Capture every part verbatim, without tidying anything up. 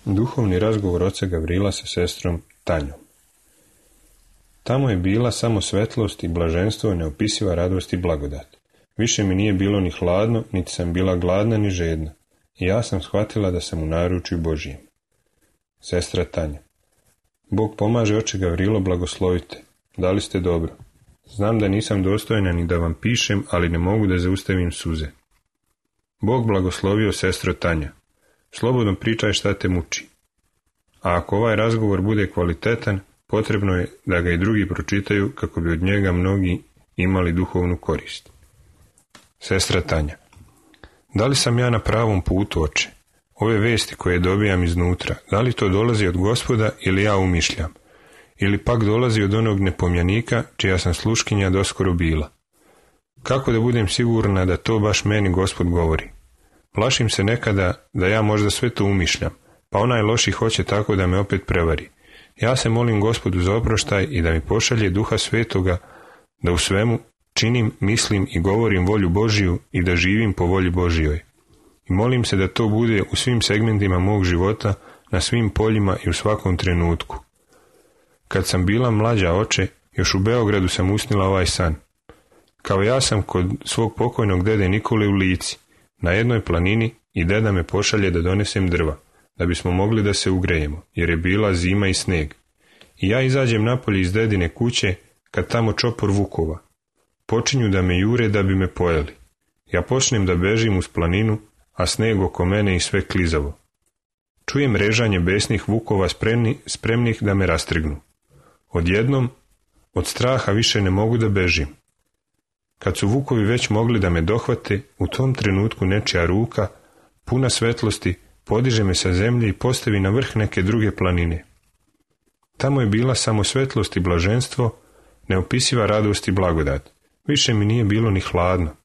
Duhovni razgovor oca Gavrila sa sestrom Tanjom. Tamo je bila samo svetlost i blaženstvo, neopisiva radost i blagodat. Više mi nije bilo ni hladno, niti sam bila gladna ni žedna. I ja sam shvatila da sam u naručju Božijem. Sestra Tanja. Bog pomaže, oče Gavrilo, blagoslovite. Da li ste dobro? Znam da nisam dostojna ni da vam pišem, ali ne mogu da zaustavim suze. Bog blagoslovio, sestro Tanja. Slobodno pričaj šta te muči. A ako ovaj razgovor bude kvalitetan, potrebno je da ga i drugi pročitaju kako bi od njega mnogi imali duhovnu korist. Sestra Tanja. Da li sam ja na pravom putu, oče? Ove vesti koje dobijam iznutra, da li to dolazi od Gospoda ili ja umišljam? Ili pak dolazi od onog nepomljanika čija sam sluškinja doskoro bila? Kako da budem sigurna da to baš meni Gospod govori? Plašim se nekada da ja možda sve to umišljam, pa onaj loši hoće tako da me opet prevari. Ja se molim Gospodu za oproštaj i da mi pošalje Duha Svetoga, da u svemu činim, mislim i govorim volju Božiju i da živim po volji Božijoj. I molim se da to bude u svim segmentima mog života, na svim poljima i u svakom trenutku. Kad sam bila mlađa, oče, još u Beogradu sam usnila ovaj san. Kao ja sam kod svog pokojnog dede Nikole u Lici, na jednoj planini, i deda me pošalje da donesem drva, da bismo mogli da se ugrejemo, jer je bila zima i sneg. I ja izađem napolje iz dedine kuće, kad tamo čopor vukova. Počinju da me jure da bi me pojeli. Ja počnem da bežim uz planinu, a sneg oko mene i sve klizavo. Čujem režanje besnih vukova spremni, spremnih da me rastrgnu. Odjednom, od straha više ne mogu da bežim. Kad su vukovi već mogli da me dohvate, u tom trenutku nečija ruka, puna svetlosti, podiže me sa zemlje i postavi na vrh neke druge planine. Tamo je bila samo svetlost i blaženstvo, neopisiva radost i blagodat. Više mi nije bilo ni hladno,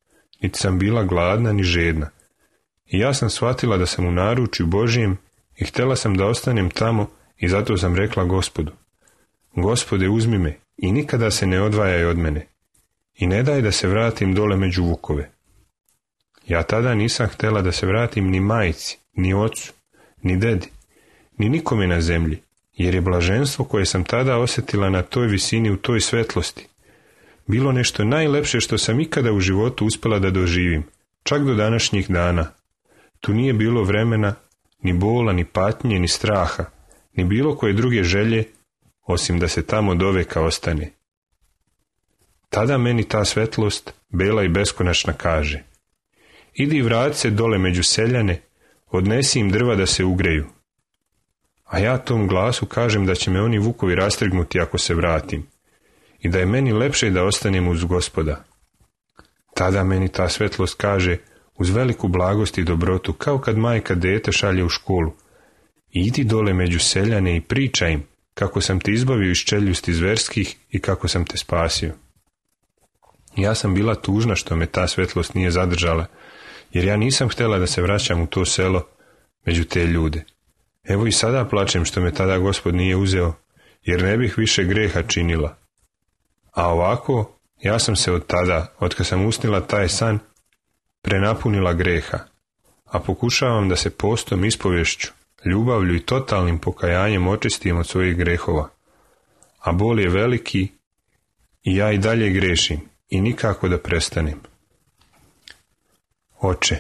niti sam bila gladna ni žedna. I ja sam shvatila da sam u naručju Božijem i htjela sam da ostanem tamo i zato sam rekla Gospodu: Gospode, uzmi me i nikada se ne odvajaj od mene i ne daj da se vratim dole među vukove. Ja tada nisam htjela da se vratim ni majci, ni ocu, ni dedi, ni nikome na zemlji, jer je blaženstvo koje sam tada osjetila na toj visini, u toj svetlosti, bilo nešto najlepše što sam ikada u životu uspjela da doživim, čak do današnjih dana. Tu nije bilo vremena, ni bola, ni patnje, ni straha, ni bilo koje druge želje, osim da se tamo doveka ostane. Tada meni ta svetlost, bela i beskonačna, kaže: idi vrati se dole među seljane, odnesi im drva da se ugreju. A ja tom glasu kažem da će me oni vukovi rastrgnuti ako se vratim i da je meni lepše da ostanem uz Gospoda. Tada meni ta svetlost kaže, uz veliku blagost i dobrotu, kao kad majka dete šalje u školu: idi dole među seljane i pričaj im kako sam te izbavio iz čeljusti zverskih i kako sam te spasio. Ja sam bila tužna što me ta svetlost nije zadržala, jer ja nisam htjela da se vraćam u to selo među te ljude. Evo i sada plačem što me tada Gospod nije uzeo, jer ne bih više greha činila. A ovako, ja sam se od tada, od kad sam usnila taj san, prenapunila greha, a pokušavam da se postom, ispovješću, ljubavlju i totalnim pokajanjem očistim od svojih grehova. A bol je veliki i ja i dalje grešim i nikako da prestanem. Oče,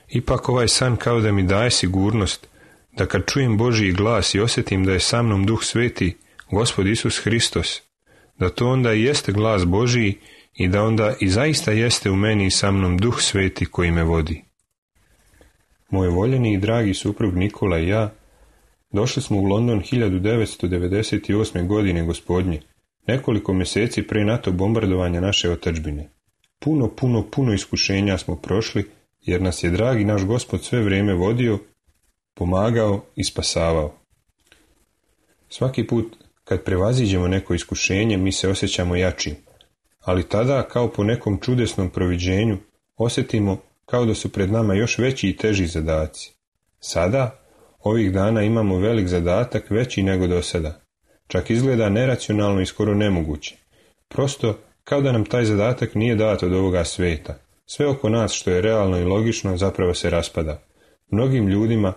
ipak ovaj san kao da mi daje sigurnost da kad čujem Božji glas i osjetim da je sa mnom Duh Sveti, Gospod Isus Hristos, da to onda i jeste glas Božji i da onda i zaista jeste u meni i sa mnom Duh Sveti koji me vodi. Moj voljeni i dragi suprug Nikola i ja došli smo u London hiljadu devetsto devedeset osme. godine Gospodnje, nekoliko mjeseci pre NATO bombardovanja naše otadžbine. Puno, puno, puno iskušenja smo prošli, jer nas je dragi naš Gospod sve vrijeme vodio, pomagao i spasavao. Svaki put kad prevaziđemo neko iskušenje, mi se osjećamo jačim, ali tada, kao po nekom čudesnom proviđenju, osjetimo kao da su pred nama još veći i teži zadaci. Sada, ovih dana, imamo velik zadatak, veći nego do sada. Čak izgleda neracionalno i skoro nemoguće. Prosto, kao da nam taj zadatak nije dat od ovoga sveta. Sve oko nas što je realno i logično zapravo se raspada. Mnogim ljudima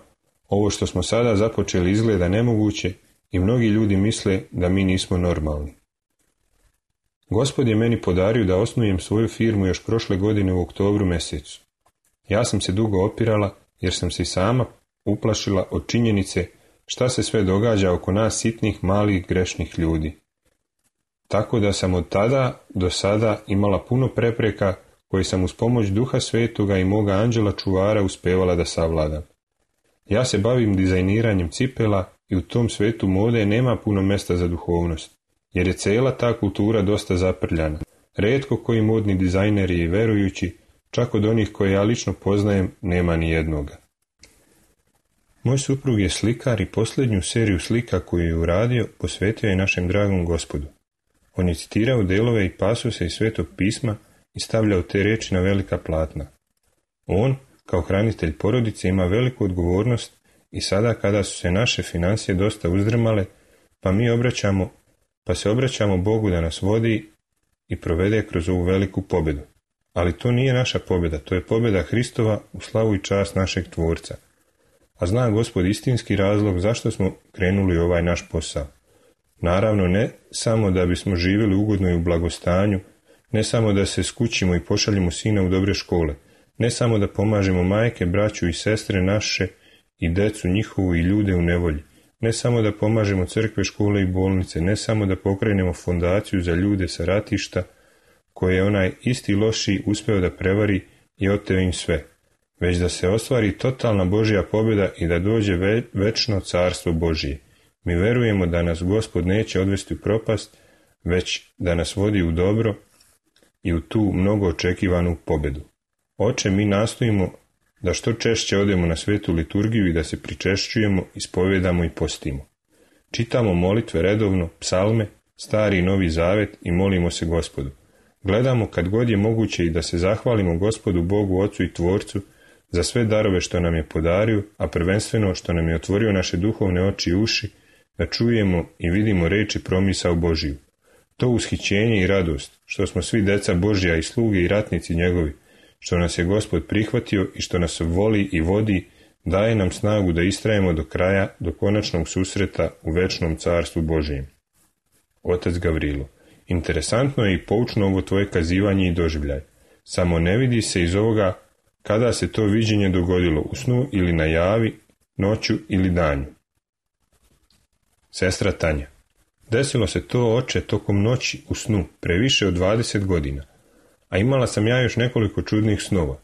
Ovo što smo sada započeli izgleda nemoguće i mnogi ljudi misle da mi nismo normalni. Gospod je meni podario da osnujem svoju firmu još prošle godine u oktobru mjesecu. Ja sam se dugo opirala jer sam se i sama uplašila od činjenice šta se sve događa oko nas sitnih, malih, grešnih ljudi. Tako da sam od tada do sada imala puno prepreka koje sam uz pomoć Duha Svetoga i moga anđela čuvara uspevala da savladam. Ja se bavim dizajniranjem cipela i u tom svetu mode nema puno mjesta za duhovnost, jer je cijela ta kultura dosta zaprljana. Rijetko koji modni dizajneri i verujući, čak od onih koje ja lično poznajem, nema ni jednoga. Moj suprug je slikar i posljednju seriju slika koju je uradio posvetio je našem dragom Gospodu. On je citirao delove i pasuse iz Svetog pisma i stavljao te riječi na velika platna. On, kao hranitelj porodice, ima veliku odgovornost i sada kada su se naše financije dosta uzdrmale, pa mi obraćamo, pa se obraćamo Bogu da nas vodi i provede kroz ovu veliku pobjedu. Ali to nije naša pobjeda, to je pobjeda Hristova u slavu i čast našeg Tvorca. A zna Gospod istinski razlog zašto smo krenuli ovaj naš posao. Naravno, ne samo da bismo živjeli ugodno i u blagostanju, ne samo da se skućimo i pošaljemo sina u dobre škole, ne samo da pomažemo majke, braću i sestre naše i decu njihovu i ljude u nevolji, ne samo da pomažemo crkve, škole i bolnice, ne samo da pokrenemo fondaciju za ljude sa ratišta, koje je onaj isti loši uspeo da prevari i oteo im sve, već da se ostvari totalna Božja pobjeda i da dođe ve- večno carstvo Božije. Mi verujemo da nas Gospod neće odvesti u propast, već da nas vodi u dobro i u tu mnogo očekivanu pobjedu. Oče, mi nastojimo da što češće odemo na svetu liturgiju i da se pričešćujemo, ispovedamo i postimo. Čitamo molitve redovno, psalme, stari i novi zavet i molimo se Gospodu. Gledamo kad god je moguće i da se zahvalimo Gospodu Bogu, Ocu i Tvorcu za sve darove što nam je podario, a prvenstveno što nam je otvorio naše duhovne oči i uši, da čujemo i vidimo reči promisao Božiju. To ushićenje i radost, što smo svi deca Božja i sluge i ratnici njegovi, što nas je Gospod prihvatio i što nas voli i vodi, daje nam snagu da istrajemo do kraja, do konačnog susreta u večnom carstvu Božijem. Otac Gavrilo, interesantno je i poučno ovo tvoje kazivanje i doživljaj. Samo ne vidi se iz ovoga kada se to viđenje dogodilo, u snu ili na javi, noću ili danju. Sestra Tanja, desilo se to, oče, tokom noći u snu, previše od dvadeset godina, a imala sam ja još nekoliko čudnih snova.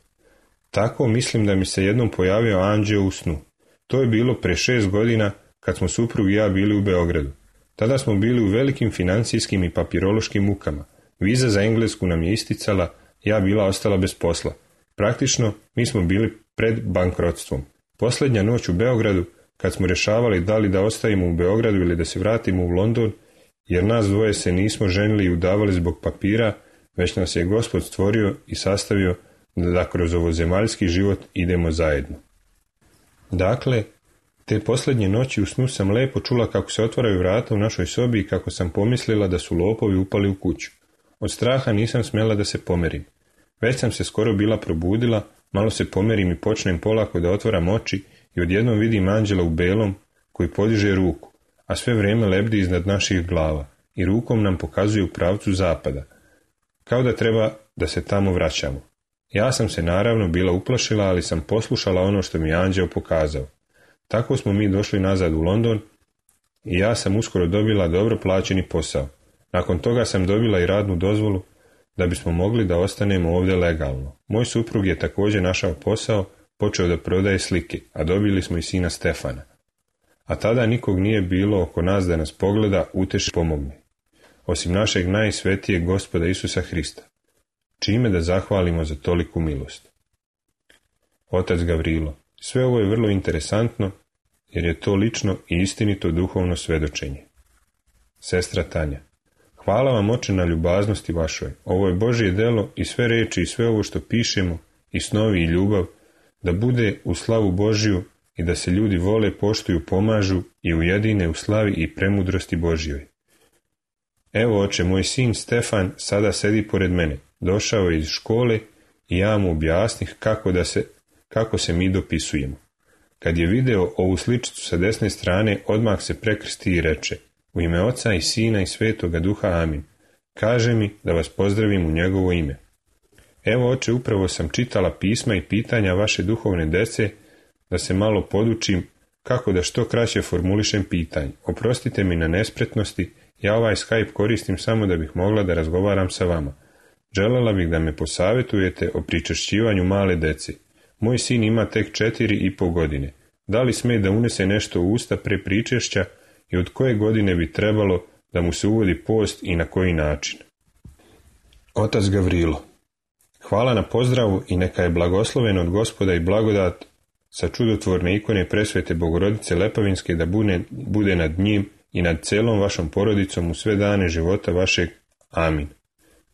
Tako mislim da mi se jednom pojavio anđeo u snu. To je bilo pre šest godina kad smo suprug i ja bili u Beogradu. Tada smo bili u velikim financijskim i papirološkim mukama. Viza za Englesku nam je isticala, ja bila ostala bez posla. Praktično, mi smo bili pred bankrotstvom. Posljednja noć u Beogradu, kad smo rješavali da li da ostavimo u Beogradu ili da se vratimo u London, jer nas dvoje se nismo ženili i udavali zbog papira, već nas je Gospod stvorio i sastavio da kroz ovozemaljski život idemo zajedno. Dakle, te posljednje noći u snu sam lepo čula kako se otvaraju vrata u našoj sobi i kako sam pomislila da su lopovi upali u kuću. Od straha nisam smjela da se pomerim. Već sam se skoro bila probudila, malo se pomerim i počnem polako da otvaram oči i odjednom vidim anđela u belom koji podiže ruku, a sve vrijeme lebdi iznad naših glava i rukom nam pokazuje u pravcu zapada, kao da treba da se tamo vraćamo. Ja sam se naravno bila uplašila, ali sam poslušala ono što mi je anđeo pokazao. Tako smo mi došli nazad u London i ja sam uskoro dobila dobro plaćeni posao. Nakon toga sam dobila i radnu dozvolu da bismo mogli da ostanemo ovdje legalno. Moj suprug je također našao posao, počeo da prodaje slike, a dobili smo i sina Stefana. A tada nikog nije bilo oko nas da nas pogleda, uteši, pomogne. Osim našeg najsvetijeg Gospoda Isusa Hrista. Čime da zahvalimo za toliku milost? Otac Gavrilo, sve ovo je vrlo interesantno, jer je to lično i istinito duhovno svedočenje. Sestra Tanja, hvala vam, oče, na ljubaznosti vašoj. Ovo je Božje delo i sve reči i sve ovo što pišemo, i snovi i ljubav, da bude u slavu Božju i da se ljudi vole, poštuju, pomažu i ujedine u slavi i premudrosti Božjoj. Evo, oče, moj sin Stefan sada sedi pored mene. Došao je iz škole i ja mu objasnih kako, da se, kako se mi dopisujemo. Kad je video ovu sličicu sa desne strane, odmah se prekrsti i reče: u ime Oca i Sina i Svetoga Duha, amin. Kaže mi da vas pozdravim u njegovo ime. Evo, oče, upravo sam čitala pisma i pitanja vaše duhovne dece, da se malo podučim kako da što kraće formulišem pitanje. Oprostite mi na nespretnosti, ja ovaj Skype koristim samo da bih mogla da razgovaram sa vama. Želela bih da me posavjetujete o pričešćivanju male dece. Moj sin ima tek četiri i pol godine. Da li sme da unese nešto u usta pre pričešća i od koje godine bi trebalo da mu se uvodi post i na koji način? Otac Gavrilo: hvala na pozdravu i neka je blagosloven od Gospoda i blagodat sa čudotvorne ikone presvete Bogorodice Lepavinske da bude, bude nad njim i nad celom vašom porodicom u sve dane života vašeg. Amin.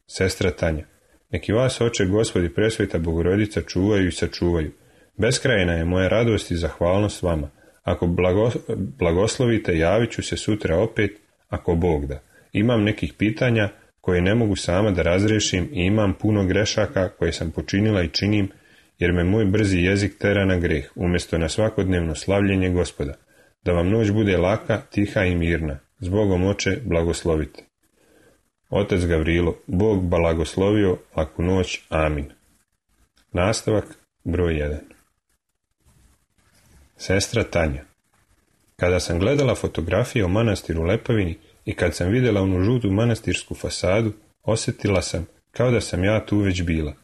Sestra Tanja: neki vas, oče Gospod i presveta Bogorodica, čuvaju i sačuvaju. Beskrajna je moja radost i zahvalnost vama. Ako blago, blagoslovite, javit ću se sutra opet, ako Bog da. Imam nekih pitanja koje ne mogu sama da razrešim i imam puno grešaka koje sam počinila i činim, jer me moj brzi jezik tera na greh, umjesto na svakodnevno slavljenje Gospoda. Da vam noć bude laka, tiha i mirna. Zbogom, oče, blagoslovite. Otac Gavrilo: Bog blagoslovio, laku noć, amin. Nastavak broj jedan. Sestra Tanja: kada sam gledala fotografije o manastiru Lepavini i kad sam vidjela onu žutu manastirsku fasadu, osjetila sam kao da sam ja tu već bila.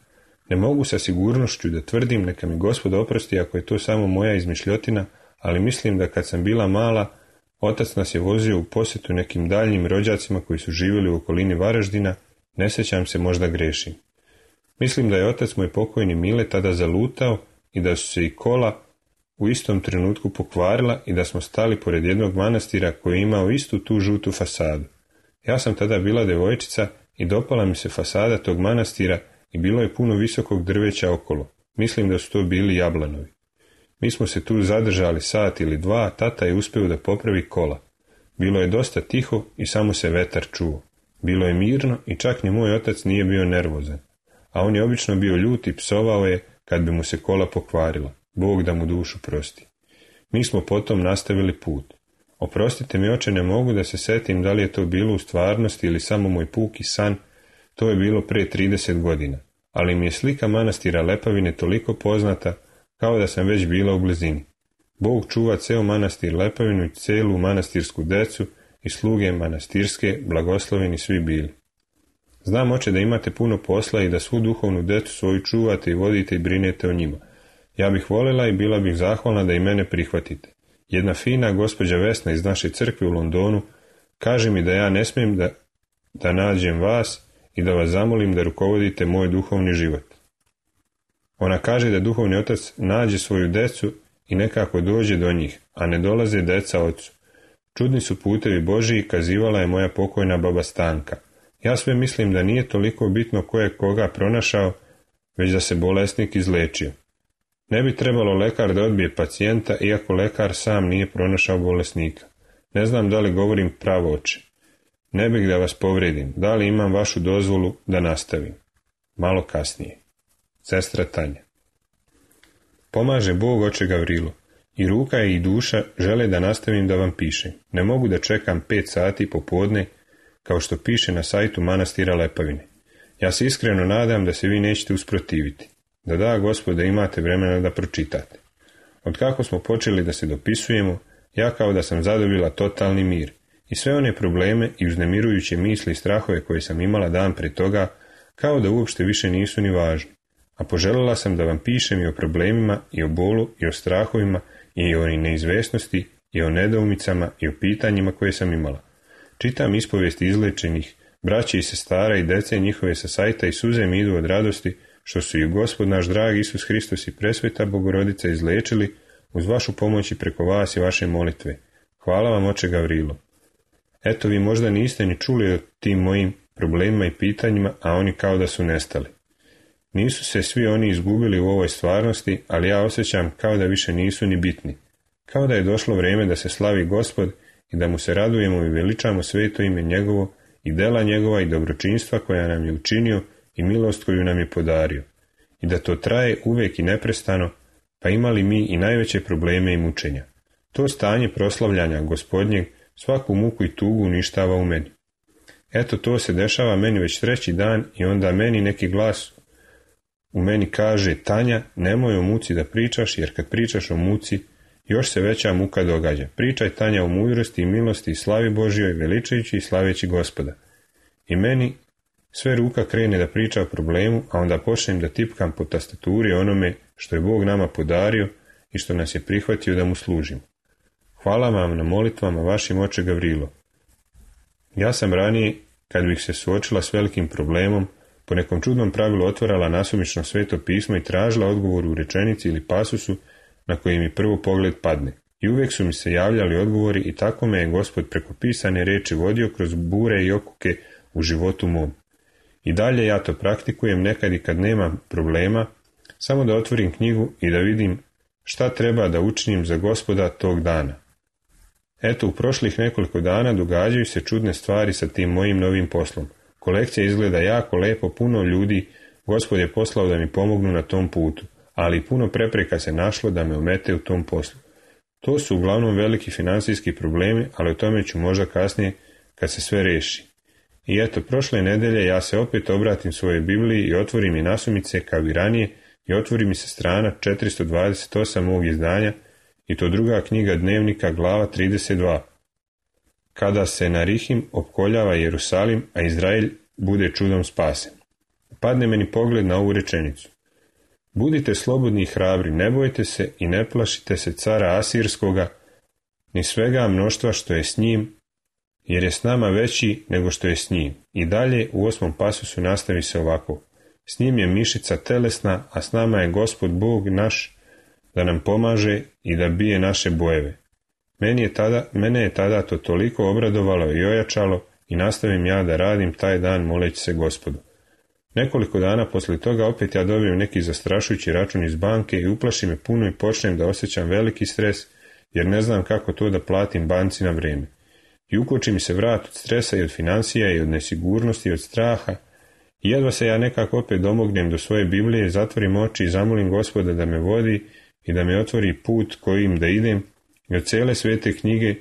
Ne mogu sa sigurnošću da tvrdim, neka mi Gospod oprosti ako je to samo moja izmišljotina, ali mislim da kad sam bila mala, otac nas je vozio u posjetu nekim daljnjim rođacima koji su živjeli u okolini Varaždina, ne sjećam se, možda grešim. Mislim da je otac moj pokojni Mile tada zalutao i da su se i kola u istom trenutku pokvarila i da smo stali pored jednog manastira koji je imao istu tu žutu fasadu. Ja sam tada bila devojčica i dopala mi se fasada tog manastira i bilo je puno visokog drveća okolo. Mislim da su to bili jablanovi. Mi smo se tu zadržali sat ili dva, tata je uspeo da popravi kola. Bilo je dosta tiho i samo se vetar čuo. Bilo je mirno i čak ni moj otac nije bio nervozan. A on je obično bio ljut i psovao je kad bi mu se kola pokvarila. Bog da mu dušu prosti. Mi smo potom nastavili put. Oprostite mi, oče, ne mogu da se setim da li je to bilo u stvarnosti ili samo moj puki san. To je bilo pre trideset godina. Ali mi je slika manastira Lepavine toliko poznata kao da sam već bila u blizini. Bog čuva ceo manastir Lepavinu i celu manastirsku decu i sluge manastirske, blagosloveni svi bili. Znam, oče, da imate puno posla i da svu duhovnu decu svoju čuvate i vodite i brinete o njima. Ja bih voljela i bila bih zahvalna da i mene prihvatite. Jedna fina gospođa Vesna iz naše crkve u Londonu kaže mi da ja ne smijem da, da nađem vas i da vas zamolim da rukovodite moj duhovni život. Ona kaže da duhovni otac nađe svoju decu i nekako dođe do njih, a ne dolaze deca ocu. Čudni su putevi Božiji, kazivala je moja pokojna baba Stanka. Ja sve mislim da nije toliko bitno ko je koga pronašao, već da se bolesnik izlečio. Ne bi trebalo lekar da odbije pacijenta, iako lekar sam nije pronašao bolesnika. Ne znam da li govorim pravo, oče. Ne bih da vas povredim, da li imam vašu dozvolu da nastavim? Malo kasnije. Sestra Tanja: pomaže Bog, oče Gavrilo. I ruka i duša žele da nastavim da vam pišem. Ne mogu da čekam pet sati popodne, kao što piše na sajtu manastira Lepavine. Ja se iskreno nadam da se vi nećete usprotiviti. Da da, Gospode, imate vremena da pročitate. Od kako smo počeli da se dopisujemo, ja kao da sam zadobila totalni mir. I sve one probleme i uznemirujuće misli i strahove koje sam imala dan pre toga, kao da uopšte više nisu ni važni. A poželjela sam da vam pišem i o problemima, i o bolu, i o strahovima, i o neizvesnosti, i o nedoumicama, i o pitanjima koje sam imala. Čitam ispovijesti izlečenih, braće i sestara i dece njihove sa sajta i suze mi idu od radosti, što su i Gospod naš dragi Isus Hristos i presveta Bogorodica izlečili uz vašu pomoć i preko vas i vaše molitve. Hvala vam, oče Gavrilo. Eto, vi možda niste ni čuli o tim mojim problemima i pitanjima, a oni kao da su nestali. Nisu se svi oni izgubili u ovoj stvarnosti, ali ja osjećam kao da više nisu ni bitni. Kao da je došlo vrijeme da se slavi Gospod i da mu se radujemo i veličamo sveto ime njegovo i dela njegova i dobročinstva koja nam je učinio i milost koju nam je podario. I da to traje uvijek i neprestano, pa imali mi i najveće probleme i mučenja. To stanje proslavljanja Gospodnjeg svaku muku i tugu uništava u meni. Eto, to se dešava meni već treći dan i onda meni neki glas u meni kaže: Tanja, nemoj o muci da pričaš, jer kad pričaš o muci, još se veća muka događa. Pričaj, Tanja, o mudrosti i milosti i slavi Božjoj, veličajući i slaveći Gospoda. I meni sve ruka krene da priča o problemu, a onda počnem da tipkam po tastaturi onome što je Bog nama podario i što nas je prihvatio da mu služimo. Hvala vam na molitvama vašim, oče Gavrilo. Ja sam ranije, kad bih se suočila s velikim problemom, po nekom čudnom pravilu otvarala nasumično Sveto pismo i tražila odgovor u rečenici ili pasusu na koji mi prvo pogled padne. I uvijek su mi se javljali odgovori i tako me je Gospod preko pisane riječi vodio kroz bure i okuke u životu mom. I dalje ja to praktikujem nekad i kad nemam problema, samo da otvorim knjigu i da vidim šta treba da učinim za Gospoda tog dana. Eto, u prošlih nekoliko dana događaju se čudne stvari sa tim mojim novim poslom. Kolekcija izgleda jako lepo, puno ljudi Gospod je poslao da mi pomognu na tom putu, ali puno prepreka se našlo da me omete u tom poslu. To su uglavnom veliki financijski problemi, ali o tome ću možda kasnije kad se sve reši. I eto, prošle nedelje ja se opet obratim svojoj Bibliji i otvorim i nasumice kao i ranije i otvori mi se strana četiristo dvadeset osam ovog izdanja i to druga knjiga Dnevnika, glava trideset dva. Kada se Narihim opkoljava Jerusalim, a Izrael bude čudom spasen. Padne meni pogled na ovu rečenicu. Budite slobodni i hrabri, ne bojte se i ne plašite se cara Asirskoga, ni svega mnoštva što je s njim, jer je s nama veći nego što je s njim. I dalje u osmom pasusu nastavi se ovako. S njim je mišica telesna, a s nama je Gospod Bog naš da nam pomaže i da bije naše bojeve. Meni je tada, mene je tada to toliko obradovalo i ojačalo i nastavim ja da radim taj dan moleći se Gospodu. Nekoliko dana poslije toga opet ja dobijem neki zastrašujući račun iz banke i uplaši me puno i počnem da osjećam veliki stres jer ne znam kako to da platim banci na vrijeme. I ukoči mi se vrat od stresa i od financija i od nesigurnosti i od straha i jedva se ja nekako opet domognem do svoje Biblije, zatvorim oči i zamolim Gospoda da me vodi i da me otvori put kojim da idem i od cijele svete knjige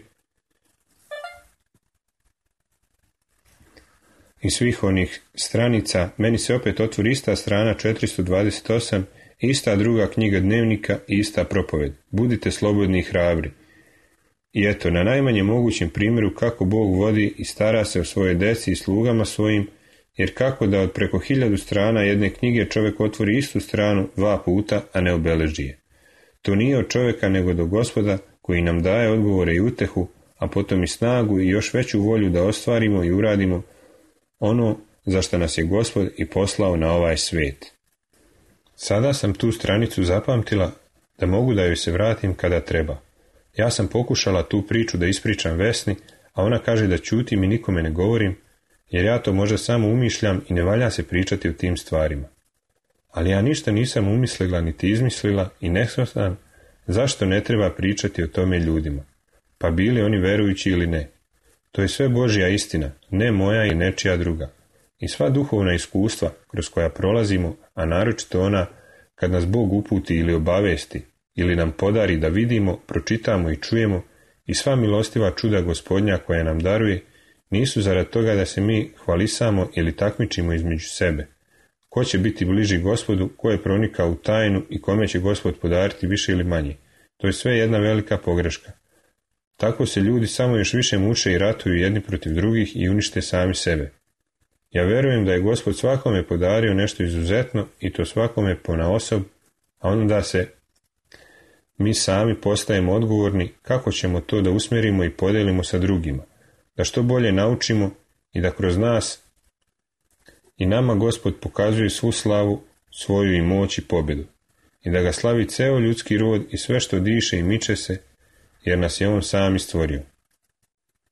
i svih onih stranica meni se opet otvori ista strana četiristo dvadeset osam, ista druga knjiga Dnevnika i ista propoved. Budite slobodni i hrabri. I eto, na najmanje mogućem primjeru kako Bog vodi i stara se o svoje deci i slugama svojim, jer kako da od preko hiljadu strana jedne knjige čovjek otvori istu stranu dva puta, a ne obeleži je. To nije od čovjeka nego do Gospoda koji nam daje odgovore i utehu, a potom i snagu i još veću volju da ostvarimo i uradimo ono za što nas je Gospod i poslao na ovaj svijet. Sada sam tu stranicu zapamtila da mogu da joj se vratim kada treba. Ja sam pokušala tu priču da ispričam Vesni, a ona kaže da ćutim i nikome ne govorim, jer ja to možda samo umišljam i ne valja se pričati o tim stvarima. Ali ja ništa nisam umislila niti izmislila i ne shvatam zašto ne treba pričati o tome ljudima, pa bili oni verujući ili ne. To je sve Božja istina, ne moja i nečija druga. I sva duhovna iskustva kroz koja prolazimo, a naročito ona kad nas Bog uputi ili obavesti, ili nam podari da vidimo, pročitamo i čujemo, i sva milostiva čuda Gospodnja koja nam daruje, nisu zarad toga da se mi hvalisamo ili takmičimo između sebe. Ko će biti bliži Gospodu, ko je pronikao u tajnu i kome će Gospod podariti više ili manje. To je sve jedna velika pogreška. Tako se ljudi samo još više muče i ratuju jedni protiv drugih i unište sami sebe. Ja verujem da je Gospod svakome podario nešto izuzetno i to svakome ponaosob, a onda se mi sami postajemo odgovorni kako ćemo to da usmjerimo i podijelimo sa drugima, da što bolje naučimo i da kroz nas i nama Gospod pokazuje svu slavu, svoju i moć i pobjedu, i da ga slavi ceo ljudski rod i sve što diše i miče se, jer nas je on sam stvorio.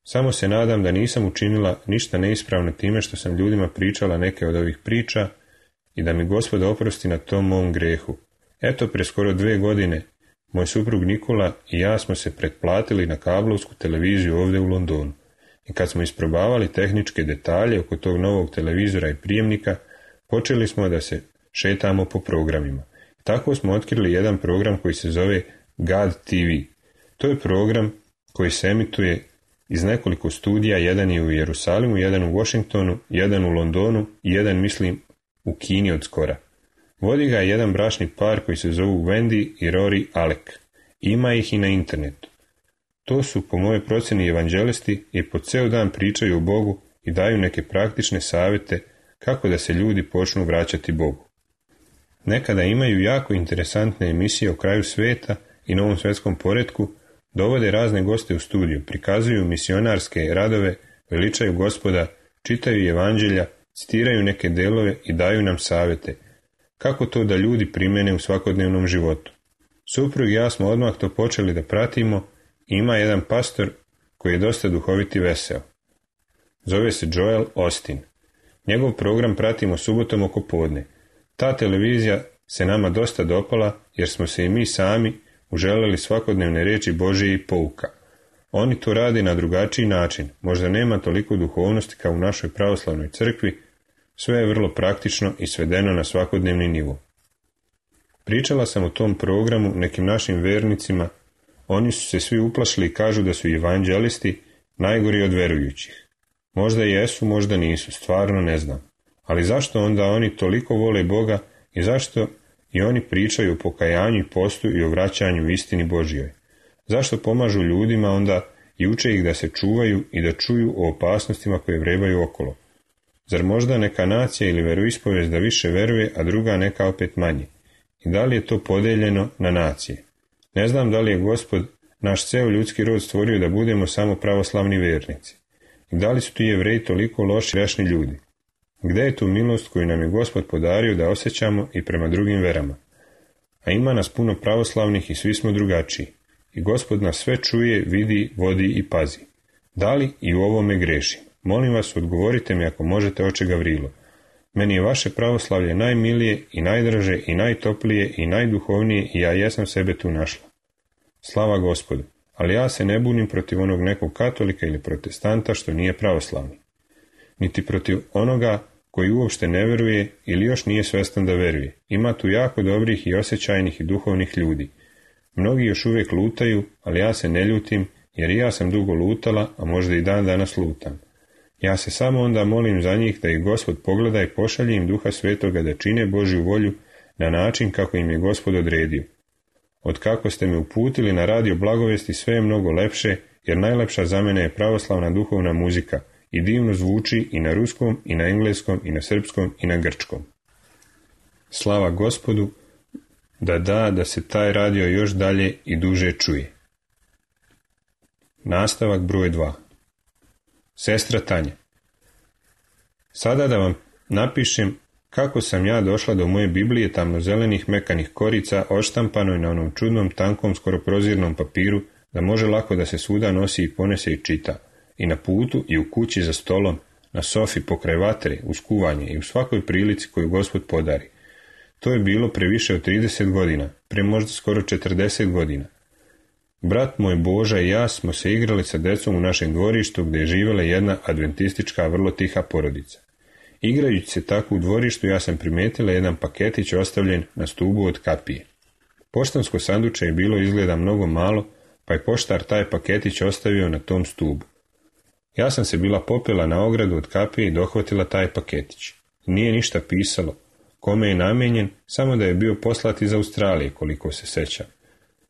Samo se nadam da nisam učinila ništa neispravno time što sam ljudima pričala neke od ovih priča i da mi Gospod oprosti na tom mom grehu. Eto, pre skoro dve godine, moj suprug Nikola i ja smo se pretplatili na kablovsku televiziju ovdje u Londonu. I kad smo isprobavali tehničke detalje oko tog novog televizora i prijemnika, počeli smo da se šetamo po programima. Tako smo otkrili jedan program koji se zove God T V. To je program koji se emituje iz nekoliko studija, jedan je u Jerusalimu, jedan u Washingtonu, jedan u Londonu i jedan, mislim, u Kini od skora. Vodi ga jedan bračni par koji se zovu Wendy i Rory Alec. Ima ih i na internetu. To su, po mojoj procjeni, evanđelisti i po ceo dan pričaju o Bogu i daju neke praktične savjete kako da se ljudi počnu vraćati Bogu. Nekada imaju jako interesantne emisije o kraju sveta i novom svjetskom poretku, dovode razne goste u studiju, prikazuju misionarske radove, veličaju Gospoda, čitaju evanđelja, citiraju neke delove i daju nam savjete. Kako to da ljudi primene u svakodnevnom životu? Suprug i ja smo odmah to počeli da pratimo i ima jedan pastor koji je dosta duhovit i veseo. Zove se Joel Osteen. Njegov program pratimo subotom oko podne. Ta televizija se nama dosta dopala jer smo se i mi sami uželeli svakodnevne riječi Božije i pouka. Oni to rade na drugačiji način, možda nema toliko duhovnosti kao u našoj pravoslavnoj crkvi, sve je vrlo praktično i svedeno na svakodnevni nivo. Pričala sam o tom programu nekim našim vernicima, oni su se svi uplašili i kažu da su evanđelisti najgori od verujućih. Možda jesu, možda nisu, stvarno ne znam. Ali zašto onda oni toliko vole Boga i zašto i oni pričaju o pokajanju i postu i o vraćanju u istini Božjoj? Zašto pomažu ljudima onda i uče ih da se čuvaju i da čuju o opasnostima koje vrebaju okolo? Zar možda neka nacija ili veroispovest da više veruje, a druga neka opet manje? I da li je to podeljeno na nacije? Ne znam da li je Gospod naš ceo ljudski rod stvorio da budemo samo pravoslavni vernici. I da li su ti Jevreji toliko loši grešni ljudi? Gde je tu milost koju nam je Gospod podario da osjećamo i prema drugim verama? A ima nas puno pravoslavnih i svi smo drugačiji. I Gospod nas sve čuje, vidi, vodi i pazi. Da li i u ovome grešim? Molim vas, odgovorite mi ako možete, oče Gavrilo. Meni je vaše pravoslavlje najmilije i najdraže i najtoplije i najduhovnije i ja jesam sebe tu našla. Slava Gospodu, ali ja se ne bunim protiv onog nekog katolika ili protestanta što nije pravoslavni. Niti protiv onoga koji uopšte ne veruje ili još nije svestan da veruje. Ima tu jako dobrih i osjećajnih i duhovnih ljudi. Mnogi još uvijek lutaju, ali ja se ne ljutim, jer i ja sam dugo lutala, a možda i dan danas lutam. Ja se samo onda molim za njih da ih Gospod pogleda i pošalje im Duha Svetoga da čine Božju volju na način kako im je Gospod odredio. Od kako ste me uputili na radio blagovesti, sve je mnogo lepše, jer najlepša za mene je pravoslavna duhovna muzika i divno zvuči i na ruskom, i na engleskom, i na srpskom, i na grčkom. Slava Gospodu, da da, da se taj radio još dalje i duže čuje. Nastavak broj dva. Sestra Tanja. Sada da vam napišem kako sam ja došla do moje Biblije tamnozelenih mekanih korica odštampanoj na onom čudnom, tankom, skoro prozirnom papiru, da može lako da se svuda nosi i ponese i čita. I na putu, i u kući za stolom, na sofi, pokraj vatre, uz kuvanje i u svakoj prilici koju Gospod podari. To je bilo pre više od trideset godina, pre možda skoro četrdeset godina. Brat moj Boža i ja smo se igrali sa decom u našem dvorištu gdje je živjela jedna adventistička, vrlo tiha porodica. Igrajući se tako u dvorištu, ja sam primetila jedan paketić ostavljen na stubu od kapije. Poštansko sanduče je bilo izgleda mnogo malo, pa je poštar taj paketić ostavio na tom stubu. Ja sam se bila popela na ogradu od kapije i dohvatila taj paketić. Nije ništa pisalo, kome je namijenjen, samo da je bio poslat iz Australije, koliko se sećam.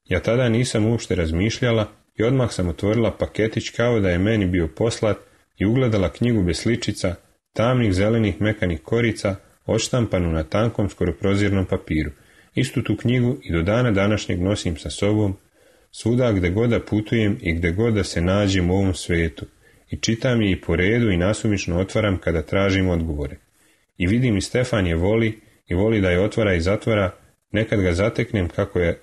Ja tada nisam uopšte razmišljala i odmah sam otvorila paketić kao da je meni bio poslat i ugledala knjigu bez sličica, tamnih zelenih mekanih korica, odštampanu na tankom, skoro prozirnom papiru. Istu tu knjigu i do dana današnjeg nosim sa sobom, svuda gde god da putujem i gde god da se nađem u ovom svetu. I čitam je i po redu i nasumično otvaram kada tražim odgovore. I vidim i Stefan je voli i voli da je otvara i zatvara, nekad ga zateknem kako je